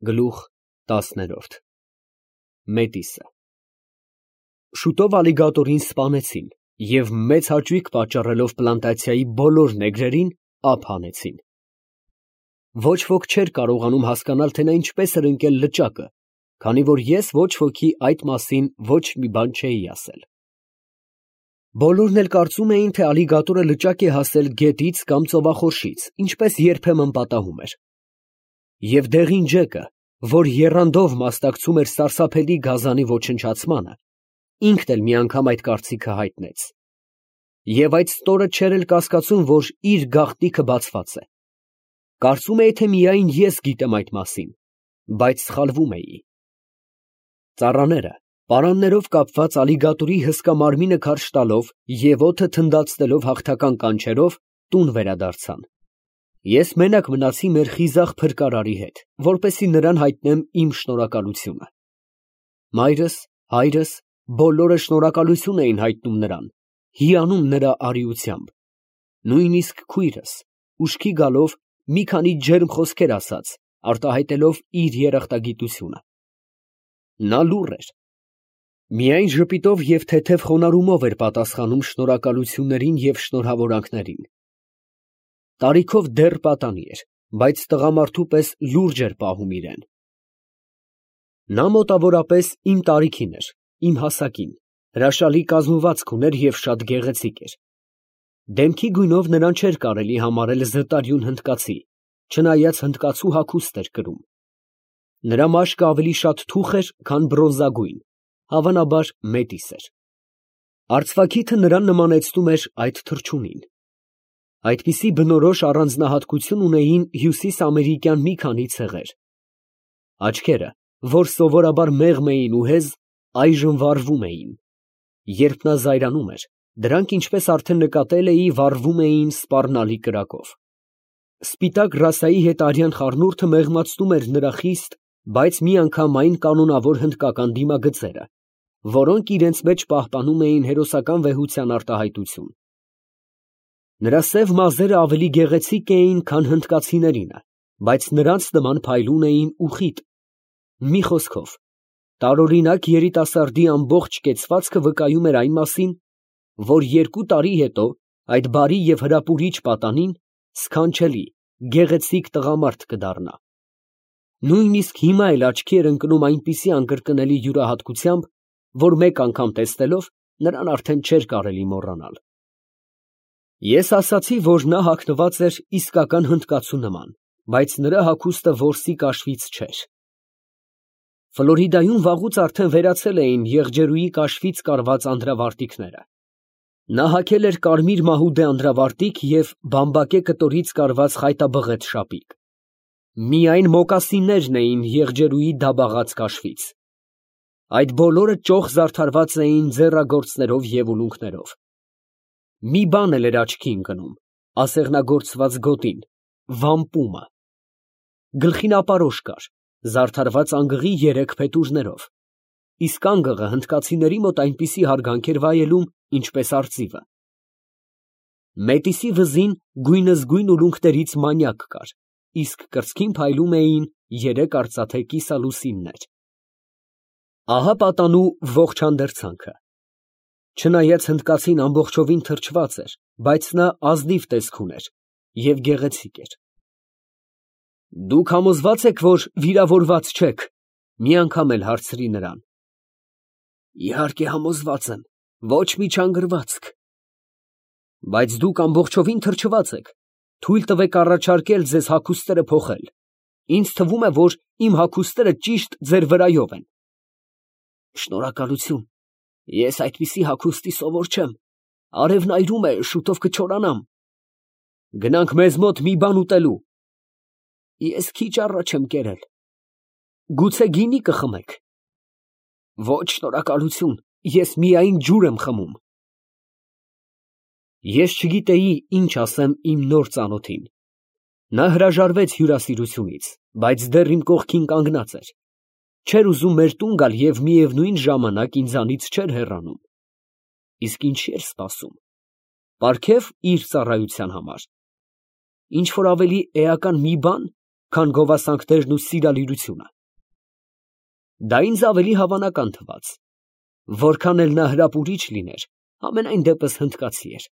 Գլուխ 10 Մետիսը Շուտով ալիգատորին սպանեցին և մեծ հաճույք պատճառելով պլանտացիայի բոլոր նեգրերին ափ հանեցին։ Ոչ ոք չէր կարողանում հասկանալ, թե նա ինչպես էր ընկել լճակը, քանի որ ես ոչ ոքի այդ մասին ոչ մի բան չէի ասել։ Բոլորն էլ կարծում էին, թե ալիգատորը լճակ է հասել գետից կամ ծովախորշից, ինչպես երբեմն պատահում էր։ Եվ դեղին ջեկը, որ եռանդով մասնակցում էր սարսափելի գազանի ոչնչացմանը, ինքն էլ մի անգամ այդ կարծիքը հայտնեց։ Եվ այդ ստորը չէր էլ կասկածում, որ իր գաղտնիքը բացված է։ Կարծում էի, թե միայն ես գիտեմ այդ մասին, բայց սխալվում էի։ Ծառաները, պարաններով կապված ալիգատորի հսկա մարմինը քարշ տալով և օդը թնդացնելով հաղթական կանչերով, տուն վերադարձան։ Ես մենակ մնացի մեր խիզախ փրկարարի հետ, որպեսզի նրան հայտնեմ իմ շնորհակալությունը։ Մայրս, հայրս, բոլորը շնորհակալություն էին հայտնում նրան, հիանում նրա արիությամբ։ Նույնիսկ քույրս, ուշքի գալով, մի քանի ջերմ խոսքեր ասաց, արտահայտելով իր երախտագիտությունը։ Նա լուռ էր։ Միայն ժպիտով և թեթև խոնարհումով էր պատասխանում շնորհակալություններին և շնորհավորանքներին։ Տարիքով դեռ պատանի էր, բայց տղամարդու պես լուրջ էր պահում իրեն։ Նա մոտավորապես իմ տարիքին էր, իմ հասակին, հրաշալի կազմվածք ուներ և շատ գեղեցիկ էր։ Դեմքի գույնով նրան չէր կարելի համարել զտարյուն հնդկացի, չնայած հնդկացու հագուստ էր կրում։ Նրա մաշկը ավելի շատ թուխ էր, քան բրոնզագույն, հավանաբար մետիս էր։ Արծվաքիթը նրան նմանեցնում էր այդ թռչունին։ Այդպիսի բնորոշ առանձնահատկություն ունեին հյուսիսամերիկյան մի քանի ցեղեր։ Աչքերը, որ սովորաբար մեղմ էին ու հեզ, այժմ վառվում էին։ Երբ նա զայրանում էր, դրանք, ինչպես արդեն նկատել էի, վառվում էին սպառնալի կրակով։ Սպիտակ ռասայի հետ արյան խառնուրդը մեղմացնում էր նրա խիստ, բայց միանգամայն կանոնավոր հնդկական դիմագծերը, որոնք իրենց մեջ պահպանում էին հերոսական վեհության արտահայտություն։ Նրա սև մազերը ավելի գեղեցիկ էին, քան հնդկացիներինը, բայց նրանց նման փայլուն էին ու խիտ։ Մի խոսքով, տարօրինակ երիտասարդի ամբողջ կեցվածքը վկայում էր այն մասին, որ 2 տարի հետո այդ բարի և հրապուրիչ պատանին սքանչելի, գեղեցիկ տղամարդ կդառնա։ Նույնիսկ հիմա էլ աչքի էր ընկնում այնպիսի անկրկնելի յուրահատկությամբ, որ մեկ անգամ տեսնելով նրան արդեն չէր կարելի մոռանալ։ Ես ասացի, որ նա հագնված էր իսկական հնդկացու նման, բայց նրա հագուստը որսի կաշվից չէր։ Ֆլորիդայում վաղուց արդեն վերացել էին եղջերուի կաշվից կարված անդրավարտիքները։ Նա հագել էր կարմիր մահուդե անդրավարտիք և բամբակե կտորից կարված խայտաբղետ շապիկ։ Միայն մոկասիններն էին եղջերուի դաբաղած կաշվից։ Այդ բոլորը ճոխ զարդարված էին ձեռագործներով և ուլունքներով։ Մի բան էլ էր աչքի ընկնում, ասեղնագործված գոտին, վամպումը։ Գլխին ապարոշ կար, զարդարված անգղի 3 փետուրներով, իսկ անգղը հնդկացիների մոտ այնպիսի հարգանք էր վայելում, ինչպես արծիվը։ Մետիսի վզին գույնզգույն ուլունքներից մանյակ կար, իսկ կրծքին փայլում էին 3 արծաթե կիսալուսիններ։ Ահա պատանու ողջ հանդերձանքը։ Չնայած հնդկացին ամբողջովին թրջված էր, բայց նա ազնիվ տեսք ուներ և գեղեցիկ էր։ Դուք համոզվա՞ծ եք, որ վիրավորված չեք, մի անգամ էլ հարցրի նրան։ Իհարկե համոզված եմ, ոչ մի չանգրվածք։ Բայց դուք ամբողջովին թրջված եք, թույլ տվեք առաջարկել ձեզ հագուստները փոխել։ Ինձ թվում է, որ իմ հագուստները ճիշտ ձեր վրայով են։ Շնորհակալություն, ես այդպիսի հագուստի սովոր չեմ, արևն այրում է, շուտով կչորանամ։ Գնանք մեզ մոտ մի բան ուտելու։ Ես քիչ առաջ եմ կերել։ Գուցե գինի կխմեք։ Ոչ, շնորհակալություն, ես միայն ջուր եմ խմում։ Ես չգիտեի ինչ ասեմ իմ նոր ծանոթին։ Նա հրաժարվեց հյուրասիրությունից, բայց դեռ իմ կողքին կանգնած էր։ Չէր ուզում մեր տուն գալ և միևնույն ժամանակ ինձանից չէր հեռանում։ Իսկ ինչի էր սպասում։ Պարգև իր ծառայության համար։ Ինչ որ ավելի էական մի բան, քան գովասանքներն ու սիրալիրությունը։ Դա ինձ ավելի հավանական թվաց, որքան էլ նա հրապուրիչ լիներ, ամենայն դեպս հնդկացի էր։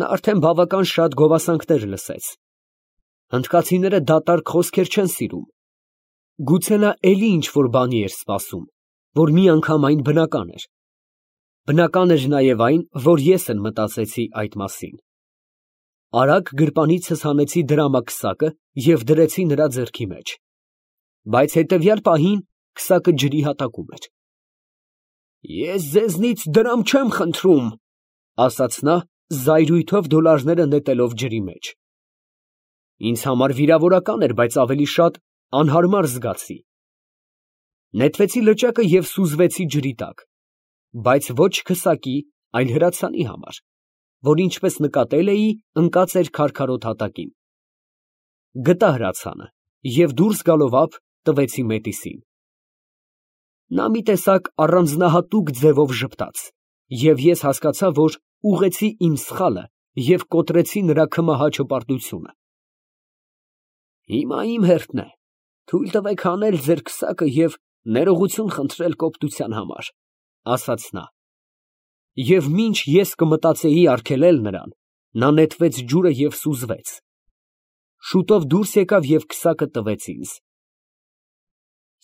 Նա արդեն բավական շատ գովասանքներ լսեց։ Հնդկացիները դատարկ խոսքեր չեն սիրում։ Գուցե նա էլի ինչ-որ բանի էր սպասում, որ մի անգամ այն բնական էր։ Բնական էր նաև այն, որ ես էլ մտածեցի այդ մասին։ Արագ գրպանիցս հանեցի դրամակսակը և դրեցի նրա ձեռքի մեջ։ Բայց հետևյալ պահին քսակը ջրի հատակում էր։ «Ես ձեզնից դրամ չեմ խնդրում», ասաց նա, զայրույթով դոլարները նետելով ջրի մեջ։ Ինձ համար վիրավորական էր, բայց ավելի շատ անհարմար զգացի։ Նետվեցի լճակը և սուզվեցի ջրի տակ, բայց ոչ քսակի, այլ հրացանի համար, որ ինչպես նկատել էի, ընկած էր քարքարոտ հատակին։ Գտա հրացանը և դուրս գալով ափ տվեցի Մետիսին։ Նա մի տեսակ առանձնահատուկ ձևով ժպտաց, և ես հասկացա, որ ուղղեցի իմ սխալը և կոտրեցի նրա քմահա հպարտությունը։ Հիմա իմ հերթն է, թույլ տվեք հանել ձեր քսակը և ներողություն խնդրել կոպտության համար, ասաց նա։ Եվ մինչ ես կմտածեի արգելել նրան, նա նետվեց ջուրը և սուզվեց։ Շուտով դուրս եկավ և քսակը տվեց ինձ։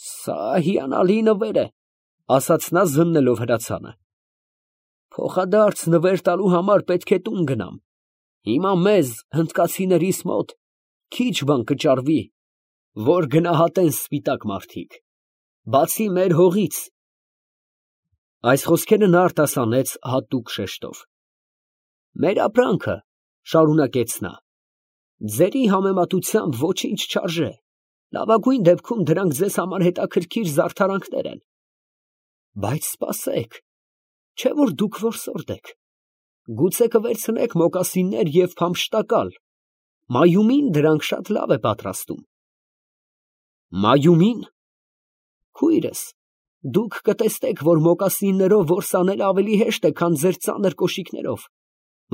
Սա հիանալի նվեր է, ասաց նա զննելով հրացանը։ Փոխադարձ նվեր տալու համար պետք է տուն գնամ։ Հիմա մեզ, հնդկացիներիս մոտ, քիչ բան կճարվի, որ գնահատեն սպիտակ մարդիկ, բացի մեր հողից։ Այս խոսքերը նա արտասանեց հատուկ շեշտով։ Մեր ապրանքը, շարունակեց նա, ձերի համեմատությամբ ոչինչ չարժե, լավագույն դեպքում դրանք ձեզ համար հետաքրքիր զարդարանքներ են։ Բայց սպասեք, չէ՞ որ դուք որսորդ եք, գուցե կվերցնեք մոկասիններ և փամփշտակալ, Մայումին դրանք շատ լավ է պատրաստում։ Մայումին։ Քույրս, դուք կտեսնեք, որ մոկասիններով որս անելը ավելի հեշտ է, քան ձեր ծանր կոշիկներով։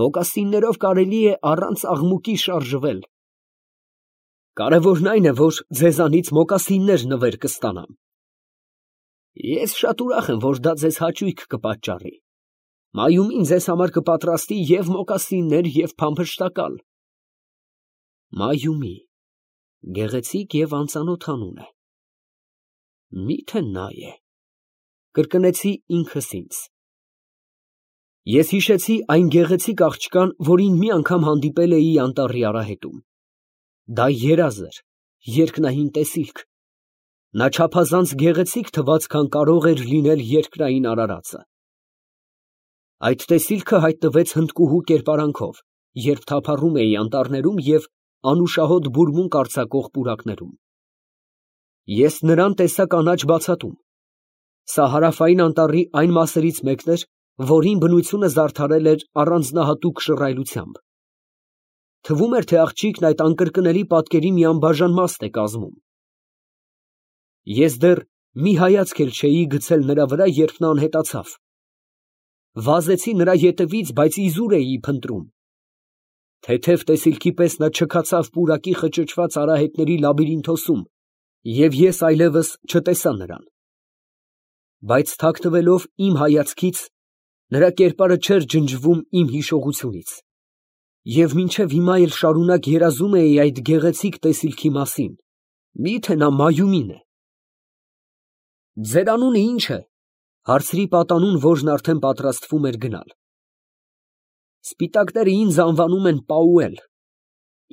Մոկասիններով կարելի է առանց աղմուկի շարժվել։ Կարևորն այն է, որ ձեզանից մոկասիններ նվեր կստանամ։ Ես շատ ուրախ եմ, որ դա ձեզ հաճույք կպատճառի։ Մայումին ձեզ համար կպատրաստի և մոկասիններ, և փամփշտակալ։ Մայումի, գեղեցիկ և անծանոթ անուն է։ Մի՞թե նա է, կրկնեցի ինքս ինձ։ Ես հիշեցի այն գեղեցիկ աղջկան, որին մի անգամ հանդիպել էի անտառի արահետում։ Դա երազ էր, երկնային տեսիլք։ Նա չափազանց գեղեցիկ թվաց, քան կարող էր լինել երկրային արարածը։ Այդ տեսիլքը հայտնվեց հնդկուհու կերպարանքով, երբ թափառում էի անտառներում և անուշահոտ բուրմունք արձակող պուրակներում։ Ես նրան տեսա կանաչ բացատում։ Սա հարավային անտառի այն մասերից մեկն էր, որին բնությունը զարդարել էր առանձնահատուկ շռայլությամբ։ Թվում էր, թե աղջիկն այդ անկրկնելի պատկերի մի անբաժան մաս է կազմում։ Ես դեռ մի հայացք էլ չէի գցել նրա վրա, երբ նա անհետացավ։ Վազեցի նրա ետևից, բայց իզուր էի փնտրում։ Թեթև տեսիլքի պես նա չքացավ պուրակի խճճված արահետների լաբիրինթոսում, և ես այլևս չտեսա նրան։ Բայց թաքնվելով իմ հայացքից, նրա կերպարը չէր ջնջվում իմ հիշողությունից, և մինչև հիմա էլ շարունակ երազում էի այդ գեղեցիկ տեսիլքի մասին։ Մի՞թե նա Մայումին է։ Ձեր անունը ի՞նչ է, հարցրի պատանուն, որն արդեն պատրաստվում էր գնալ։ Սպիտակները ինձ անվանում են Պաուել,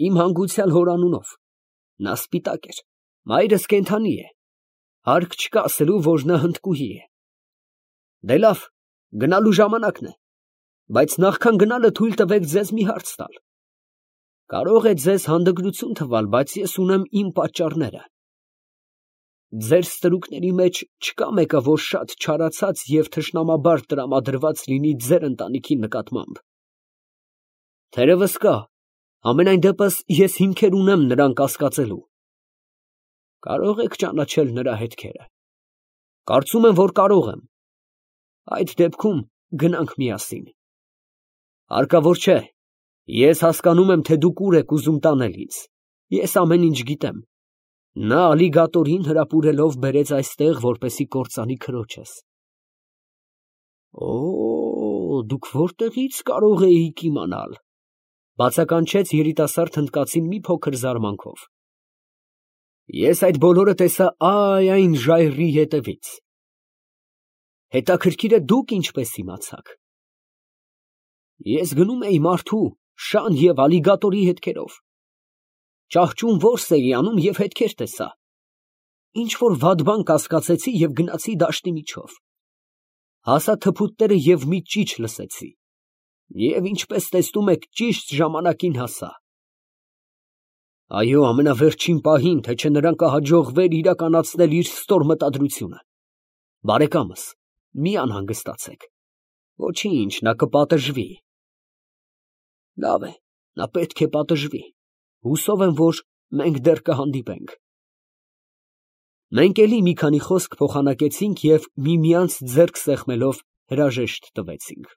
իմ հանգուցյալ հոր անունով։ Նա սպիտակ էր, մայրս կենդանի է, հարկ չկա ասելու, որ նա հնդկուհի է։ Դե լավ, գնալու ժամանակն է, բայց նախքան գնալը թույլ տվեք ձեզ մի հարց տալ։ Կարող է ձեզ հանդգնություն թվալ, բայց ես ունեմ իմ պատճառները։ Ձեր ստրուկների մեջ չկա մեկը, որ շատ չարացած և թշնամաբար տրամադրված լինի ձեր ընտանիքի նկատմամբ։ Թերևս կա, համենայն դեպս ես հիմքեր ունեմ նրան կասկածելու։ Կարող եք ճանաչել նրա հետքերը։ Կարծում եմ, որ կարող եմ։ Այդ դեպքում գնանք միասին։ Հարկավոր չէ, ես հասկանում եմ, թե դուք ուր եք ուզում տանել ինձ։ Ես ամեն ինչ գիտեմ։ Նա ալիգատորին հրապուրելով բերեց այստեղ, որպեսի կործանի քրոջս։ Դուք որտեղից կարող էիք իմանալ, բացականչեց երիտասարդ հնդկացին մի փոքր զարմանքով։ Ես այդ բոլորը տեսա այն ժայռի ետևից։ Հետաքրքիր է դուք ինչպես իմացաք։ Ես գնում էի մարդու, շան և ալիգատորի հետքերով։ Ճահճում որս էի անում և հետքեր տեսա։ Ինչ որ վատ բան կասկածեցի և գնացի դաշտի միջով։ Հասա թփուտները և մի ճիչ լսեցի։ Եվ ինչպես տեսնում եք, ճիշտ ժամանակին հասա։ Այո, ամենավերջին պահին, թե չէ նրան կհաջողվեր իրականացնել իր ստոր մտադրությունը։ Բարեկամս, մի անհանգստացեք։ Ոչինչ, նա կպատժվի։ Լավ է, նա պետք է պատժվի։ Հուսով եմ, որ մենք դեռ կհանդիպենք։ Մենք էլի մի քանի խոսք փոխանակեցինք և միմյանց ձեռք սեղմելով հրաժեշտ տվեցինք։